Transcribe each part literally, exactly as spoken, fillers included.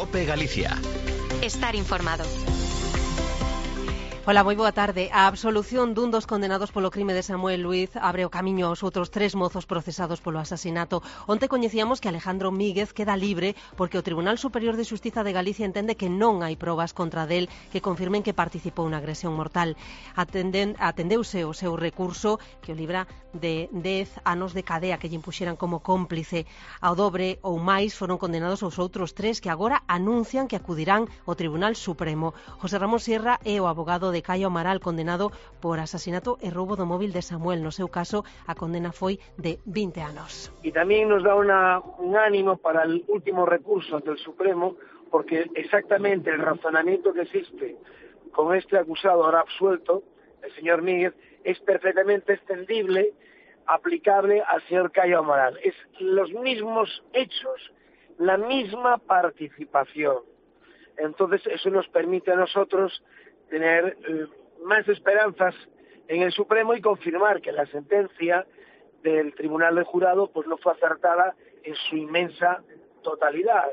COPE Galicia. Estar informado. Ola, moi boa tarde. A absolución dun dos condenados polo crime de Samuel Luiz abre o camiño aos outros tres mozos procesados polo asasinato. Onte coñecíamos que Alejandro Míguez queda libre porque o Tribunal Superior de Xustiza de Galicia entende que non hai probas contra del que confirmen que participou na agresión mortal. Atenden, atendeuse o seu recurso que o libra de dez anos de cadea que lle impuxeran como cómplice. Ao dobre ou máis foron condenados os outros tres que agora anuncian que acudirán ao Tribunal Supremo. José Ramón Sierra é o abogado de Caio Amaral, condenado por asasinato e roubo do móvil de Samuel. No seu caso, a condena foi de vinte anos. Y también nos da una, un ánimo para el último recurso ante el Supremo, porque exactamente el razonamiento que existe con este acusado ahora absuelto, el señor Míguez, es perfectamente extendible, aplicable al señor Caio Amaral. Es los mismos hechos, la misma participación. Entonces, eso nos permite a nosotros tener eh, más esperanzas en el Supremo y confirmar que la sentencia del Tribunal del Jurado pues no fue acertada en su inmensa totalidad.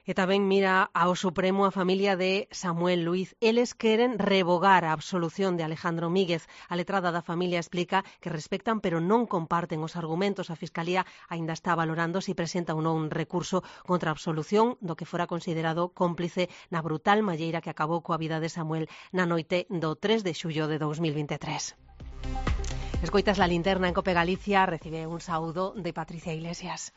E tamén mira ao Supremo a familia de Samuel Luiz. Eles queren revogar a absolución de Alejandro Míguez. A letrada da familia explica que respectan pero non comparten os argumentos. A Fiscalía aínda está valorando se presenta ou non un recurso contra a absolución do que fora considerado cómplice na brutal malleira que acabou coa vida de Samuel na noite do tres de xullo de dous mil veintitrés. Escoitas la linterna en Cope Galicia. Recibe un saúdo de Patricia Iglesias.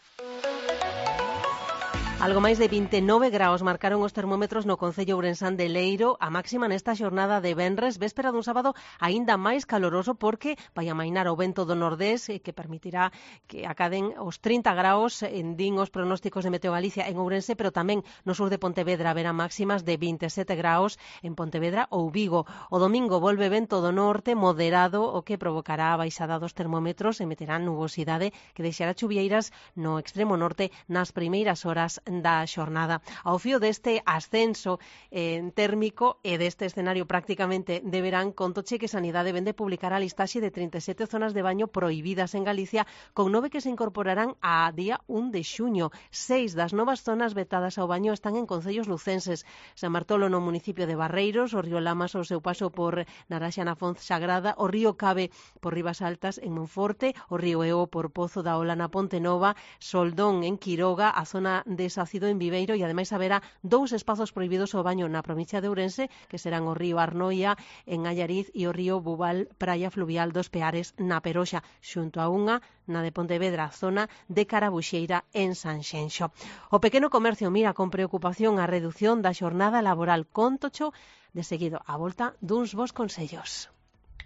Algo máis de vinte e nove graus marcaron os termómetros no concello ourensán de Leiro, a máxima nesta xornada de venres, véspera dun sábado aínda máis caloroso porque vai amainar o vento do nordés que permitirá que acaden os trinta graus en din os pronósticos de Meteo Galicia en Ourense, pero tamén no sur de Pontevedra haberá máximas de vinte e sete graus en Pontevedra ou Vigo. O domingo volve vento do norte moderado, o que provocará a baixada dos termómetros e meterá nubosidade que deixará chuvieiras no extremo norte nas primeiras horas da xornada. Ao fío deste ascenso eh, térmico e deste escenario prácticamente de verán, contoche que Sanidade vende publicar a listaxe de trinta e sete zonas de baño prohibidas en Galicia, con nove que se incorporarán a día un de xuño. Seis das novas zonas vetadas ao baño están en concellos lucenses. San Bartolo no municipio de Barreiros, o río Lamas ao seu paso por Naraxa na Fonz Sagrada, o río Cabe por Ribas Altas en Monforte, o río Eo por Pozo da Ola na Ponte Nova, Soldón en Quiroga, a zona de Sacido en Viveiro, e ademais haberá dous espazos prohibidos ao baño na provincia de Ourense, que serán o río Arnoia en Allariz e o río Bubal, praia fluvial dos Peares na Peroxa, xunto a unha na de Pontevedra, zona de Carabuxeira en Sanxenxo. O pequeno comercio mira con preocupación a redución da xornada laboral. Contocho de seguido a volta duns bons consellos.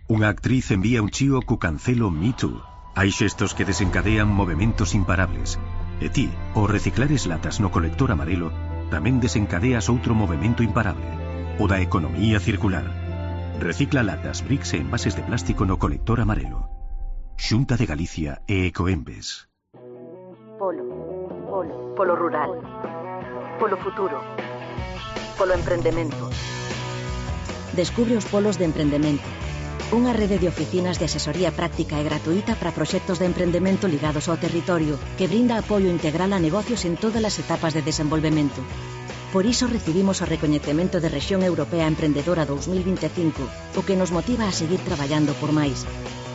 Unha actriz envía un chío cu cancelo Me Too. Hai xestos que desencadean movementos imparables. E ti, ao reciclares latas no colector amarelo, tamén desencadeas outro movemento imparable, o da economía circular. Recicla latas, bricks e envases de plástico no colector amarelo. Xunta de Galicia e Ecoembes. Polo, polo, polo rural, polo futuro, polo emprendemento. Descubre os polos de emprendemento. Unha rede de oficinas de asesoría práctica e gratuita para proxectos de emprendemento ligados ao territorio que brinda apoio integral a negocios en todas as etapas de desenvolvemento. Por iso recibimos o recoñecemento de Rexión Europea Emprendedora dous mil vinte e cinco, o que nos motiva a seguir traballando por máis.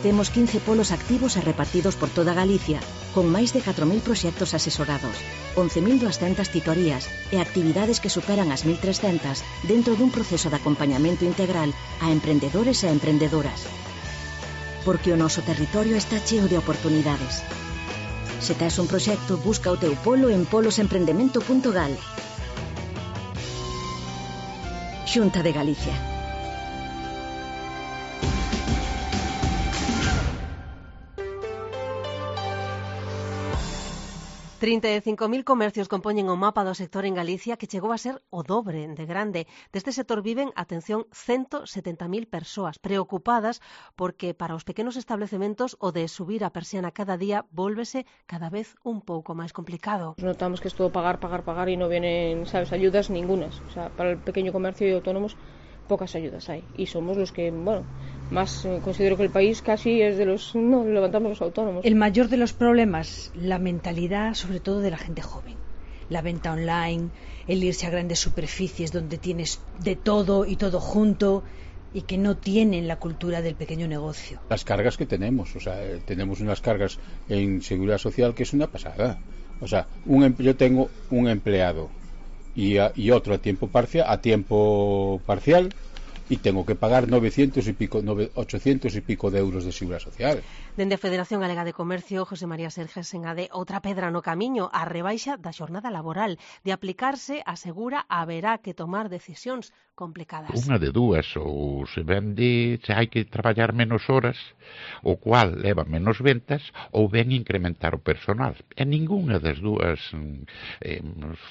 Temos quince polos activos e repartidos por toda Galicia, con máis de catro mil proxectos asesorados, once mil duascentas titorías e actividades que superan as mil trescentas dentro dun proceso de acompañamento integral a emprendedores e emprendedoras. Porque o noso territorio está cheo de oportunidades. Se tes un proxecto, busca o teu polo en polos emprendemento punto gal. Xunta de Galicia. trinta e cinco mil comercios compoñen o mapa do sector en Galicia, que chegou a ser o dobre de grande. Deste sector viven, atención, ciento setenta mil persoas preocupadas porque para os pequenos establecementos o de subir a persiana cada día vólvese cada vez un pouco máis complicado. Notamos que es todo pagar, pagar, pagar y no vienen, sabes, ayudas ningunas. O sea, para el pequeño comercio y autónomos pocas ayudas hay. Y somos los que, bueno, más eh, considero que el país casi es de los, no, levantamos los autónomos. El mayor de los problemas, la mentalidad sobre todo de la gente joven. la venta online, el irse a grandes superficies donde tienes de todo y todo junto, y que no tienen la cultura del pequeño negocio. Las cargas que tenemos, o sea, tenemos unas cargas en seguridad social que es una pasada. O sea, un, yo tengo un empleado y, a, y otro a tiempo parcial, a tiempo parcial, y tengo que pagar novecientos y pico, ochocientos y pico de euros de seguridad social. Dende a Federación Galega de Comercio, José María Serges engade outra pedra no camiño, a rebaixa da xornada laboral. De aplicarse, asegura, haberá que tomar decisións complicadas. Unha de dúas, ou se vende, se hai que traballar menos horas, o cual leva menos ventas, ou ben incrementar o personal. E ningunha das dúas eh,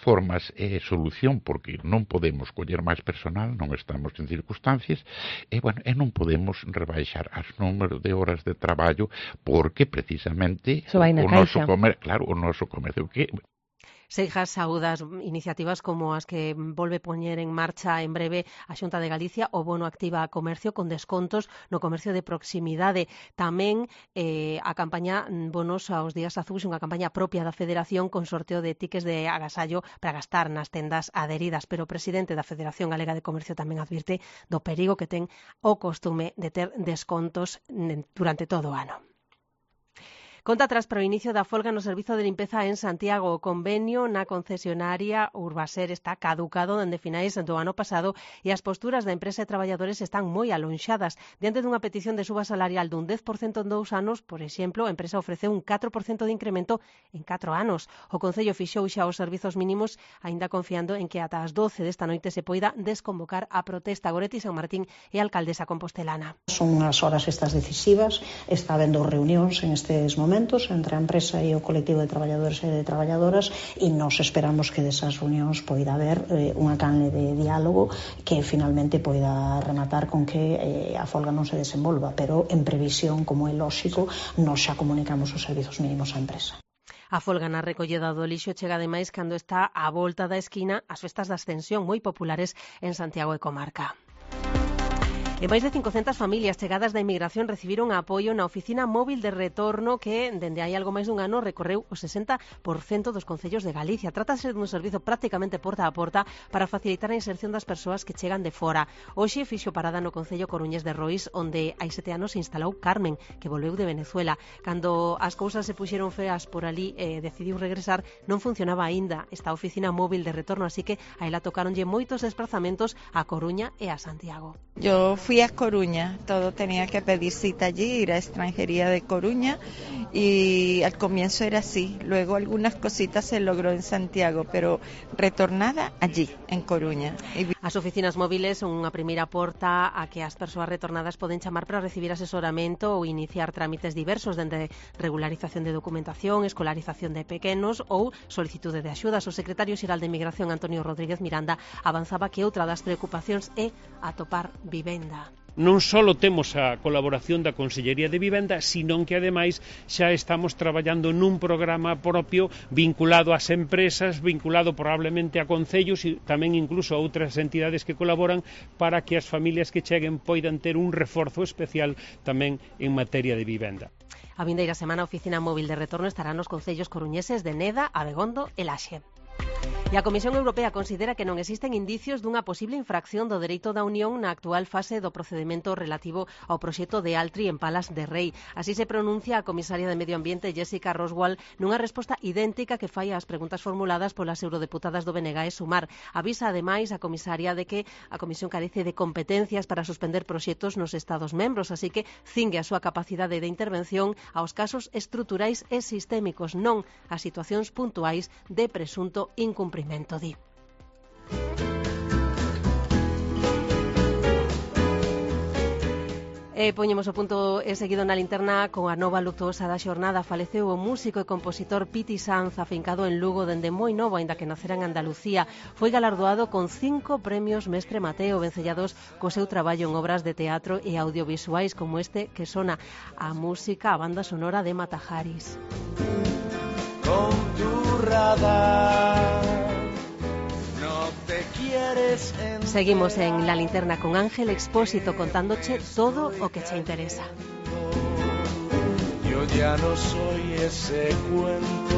formas é solución, porque non podemos coller máis personal, non estamos en circunstancias, e, bueno, e non podemos rebaixar as número de horas de traballo, porque precisamente o, o noso comer, claro, o noso comercio que Seijas saúdas iniciativas como as que volve poñer en marcha en breve a Xunta de Galicia, o bono activa a comercio con descontos no comercio de proximidade. Tamén eh, a campaña Bonos aos Días Azuis, unha campaña propia da Federación con sorteo de tickets de agasallo para gastar nas tendas adheridas. Pero o presidente da Federación Galega de Comercio tamén advirte do perigo que ten o costume de ter descontos durante todo o ano. Conta atrás para o inicio da folga no servizo de limpeza en Santiago. O convenio na concesionaria Urbaser está caducado dende finais do ano pasado e as posturas da empresa e traballadores están moi alonxadas. Diante dunha petición de suba salarial dun dez por cento en dous anos, por exemplo, a empresa ofreceu un catro por cento de incremento en catro anos. O Concello fixou xa os servizos mínimos, aínda confiando en que ata as doce desta noite se poida desconvocar a protesta. Goretti San Martín e alcaldesa compostelana. Son unhas horas estas decisivas, está habendo reunións en estes momentos entre a empresa e o colectivo de traballadores e de traballadoras, e nos esperamos que desas reunións poida haber eh, unha canle de diálogo que finalmente poida rematar con que eh, a folga non se desenvolva, pero en previsión, como é lóxico, nos xa comunicamos os servizos mínimos á empresa. A folga na recolleda do lixo chega ademais cando está á volta da esquina as festas da Ascensión, moi populares en Santiago e comarca. E máis de cincocentas familias chegadas da inmigración recibiron apoio na oficina móvil de retorno que, dende hai algo máis dun ano, recorreu o sesenta por cento dos concellos de Galicia. Trátase dun servizo prácticamente porta a porta para facilitar a inserción das persoas que chegan de fora. Hoxe fixo parada no concello coruñés de Rois, onde hai sete anos se instalou Carmen, que volveu de Venezuela. Cando as cousas se puxeron feas por ali e eh, decidiu regresar, non funcionaba aínda esta oficina móvil de retorno, así que a ela tocáronlle moitos desplazamentos a Coruña e a Santiago. Yo fui a Coruña, todo tenía que pedir cita allí, ir a extranjería de Coruña, y al comienzo era así, luego algunas cositas se logró en Santiago, pero retornada allí, en Coruña. As oficinas móviles son unha primeira porta a que as persoas retornadas poden chamar para recibir asesoramento ou iniciar trámites diversos, dende regularización de documentación, escolarización de pequenos ou solicitude de axudas. O secretario xeral de Migración, Antonio Rodríguez Miranda, avanzaba que outra das preocupacións é atopar vivenda. Non só temos a colaboración da Consellería de Vivenda, sino que ademais xa estamos traballando nun programa propio vinculado ás empresas, vinculado probablemente a concellos e tamén incluso a outras entidades que colaboran, para que as familias que cheguen poidan ter un reforzo especial tamén en materia de vivenda. A vindeira semana a oficina móvil de retorno estará nos concellos coruñeses de Neda, Abegondo e Laxe. E a Comisión Europea considera que non existen indicios dunha posible infracción do dereito da Unión na actual fase do procedimento relativo ao proxecto de Altri en Palas de Rei. Así se pronuncia a comisaria de Medio Ambiente Jessica Roswell nunha resposta idéntica que fai ás preguntas formuladas polas eurodeputadas do B N G e Sumar. Avisa ademais a comisaria de que a Comisión carece de competencias para suspender proxectos nos Estados membros, así que cingue a súa capacidade de intervención aos casos estruturais e sistémicos, non a situacións puntuais de presunto incumprimento. Di. E poñemos o punto e seguido na linterna con a nova luctuosa da xornada. Faleceu o músico e compositor Piti Sanz, afincado en Lugo dende moi novo, aínda que nacera en Andalucía. Foi galardoado con cinco premios Mestre Mateo, vencellados co seu traballo en obras de teatro e audiovisuais como este que sona, a música, a banda sonora de Matajaris. Con tu radar no te quieres entender. Seguimos en La Linterna con Ángel Expósito contándoche todo o que che interesa. Yo ya no soy ese cuento